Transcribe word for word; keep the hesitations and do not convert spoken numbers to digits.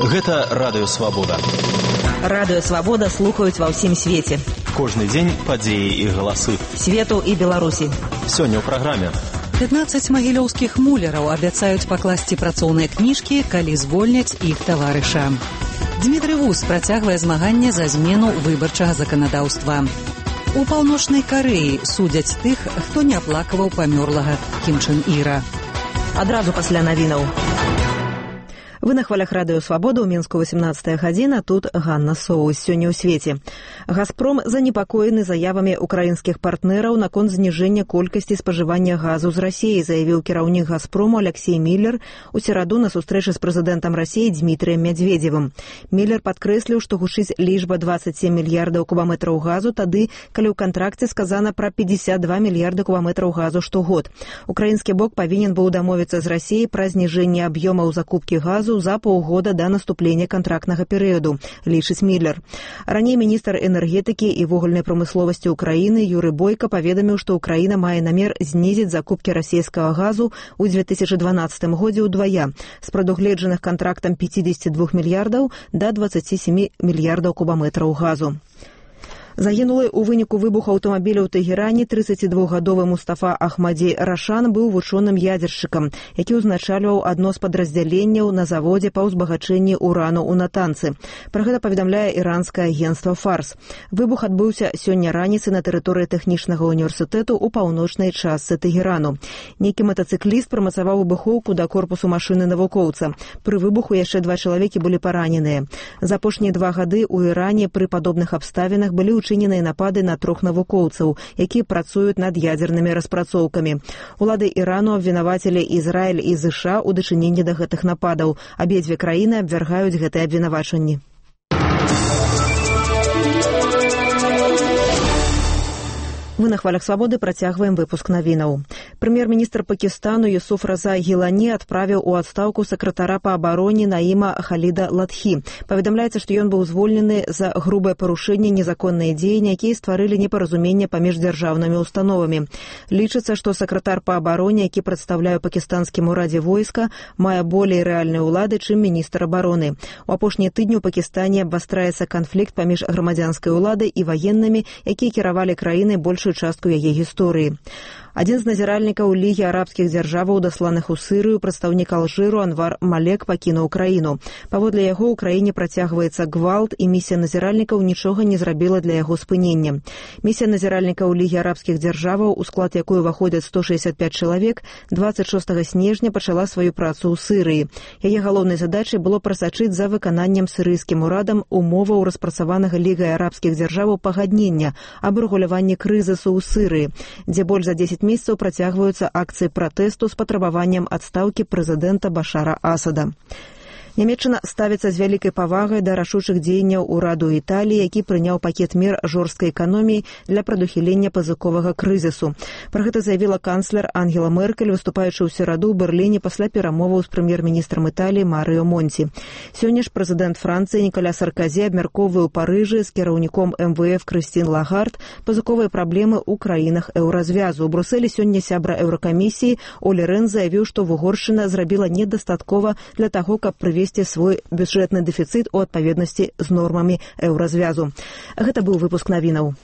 Гэта Радыё Свабода. Радыё Свабода слухаюць ва ўсім свеце. Кожны дзень падзеі і галасы. Свету і Беларусі. Сёння ў праграме. пятнаццаць магілёўскіх муляраў абяцаюць пакласці працоўныя кніжкі, калі звольняць іх таварыша. Дмітрый Вус працягвае змаганне за змену выбарчага заканадаўства. У Паўночнай Карэі судзяць тых, хто не аплакаваў памёрлага Кім Чен Іра. Адразу пасля навінаў. Вы на хвалях Радыё Свабода, ў Мінску васямнадцатая гадзіна, тут Ганна Соус. Сёння ў свеце. «Газпром» занепакоены заявамі украінскіх партнераў наконт зніжэння колькасці спажывання газу з Расіі, заявіў кіраўнік «Газпрому» Алексей Миллер у сераду на сустрэчы з прэзідэнтам Расіі Дмітрыем Мядзведзевым. Миллер падкрэсліў, што гучыць лічба дваццаць сем мільярдаў кубаметраў газу тады, калі ў кантракце сказана пра пятьдесят два мільярда кубаметраў газу штогод. Украінскі бок павінен быў дамовіцца з Расіяй пра зніжэнне аб'ёмаў закупкі газу за паўгода да наступлення кантрактнага перыяду, лічыць Миллер. Раней міністр энергетыкі і вугальнай прамысловасці ўкраіны Юрый Бойка паведаміў, што ўкраіна мае намер знізіць закупкі расійскага газу ў две тысячы дванаццатым годзе ўдвая з прадугледжаных кантрактам пятьдесят два мільярдаў да дваццаць сем мільярдаў кубаметраў газу. Загінулы ў выніку выбуху аўтамабіля ў Тэгеране трыццацідвухгадовы Мустафа Ахмадзей Рашан быў вучоным ядзершчыкам, які ўзначальваў адно з падраздзяленняў на заводзе па ўзбагачэнні урану ў Натанцы. Пра гэта паведамляе іранскае агенцтва «Фарс». Выбух адбыўся сёння раніцай на тэрыторыі тэхнічнага універсітэту ў паўночнай частцы Тэгерану. Нейкі матацыкліст прымацаваў выбухоўку да корпусу машыны навукоўца. Пры выбуху яшчэ два чалавекі былі параненыя. За апошнія два гады ў Іране пры падобных абставінах былі учыненыя напады на трох навукоўцаў, якія працуюць над ядзернымі распрацоўкамі. Улады Ірану абвінавацілі Ізраіль і ЗША ў дачыненні да гэтых нападаў. Абедзве краіны абвяргаюць гэтыя абвінавачанні. Мы на хвалях Свабоды працягваем выпуск навінаў. Прэм'ер-міністр Пакістану Юсуф Раза Гілані адправіў у адстаўку сакратара па абароне Наіма Халіда Ладхі. Паведамляецца, што ён быў звольнены за грубае парушэнне незаконныя дзеянні, якія стварылі непаразуменне паміж дзяржаўнымі установамі. Лічыцца, што сакратар па абароне, які прадстаўляе пакістанскім урадзе войска, мае болей рэальнай улады, чым міністр абароны. У апошнія тыдні ў Пакістане абвастраецца канфлікт паміж грамадзянскай уладай і ваеннымі, якія кіравалі краінай больш частку яе гісторыі. Адзін з назіральнікаў Лігі арабскіх дзяржаваў, дасланых у Сырыю, прадстаўнік Алжыру Анвар Малек пакінуў краіну. Паводле яго ў краіне працягваецца гвалт, і місія назіральнікаў нічога не зрабіла для яго спынення. Місія назіральнікаў Лігі арабскіх дзяржаваў, у склад якой уваходзяць сто шэсцьдзесят пяць чалавек, дваццаць шостага снежня пачала сваю працу ў Сырыі. Яе галоўнай задачай было прасачыць за выкананнем сырыйскім урадам умоваў распрацаванага Лігай арабскіх дзяржаваў пагаднення аб рэгуляванні крызісу ў Сырыі, дзе больш за дзесяць месяцаў працягваюцца акцыі пратэсту з патрабаваннем адстаўкі прэзідэнта Башара Асада. Нямецчына ставіцца з вялікай павагай да рашучых дзеянняў ураду Італіі, які прыняў пакет мер жорсткай эканоміі для прадухілення пазыковага крызісу. Пра гэта заявіла канцлер Ангела Меркель, выступаючы ў сераду ў Берліне пасля перамоваў з прэм'ер-міністрам Італіі Марыё Монці. Сёння ж прэзідэнт Францыі Ніколя Сарказі абмяркоўвае ў Парыжы з кіраўніком эм вэ эф Крыстін Лагард пазыковыя праблемы ў краінах еўразвязу. У Брусэлі сёння сябра еўракамісіі Олі Рэн заявіў, што Вугоршчына зрабіла недастаткова для таго, каб прывесці свой бюджэтны дэфіцыт у адпаведнасці з нормамі еўразвязу. Гэта быў выпуск навінаў.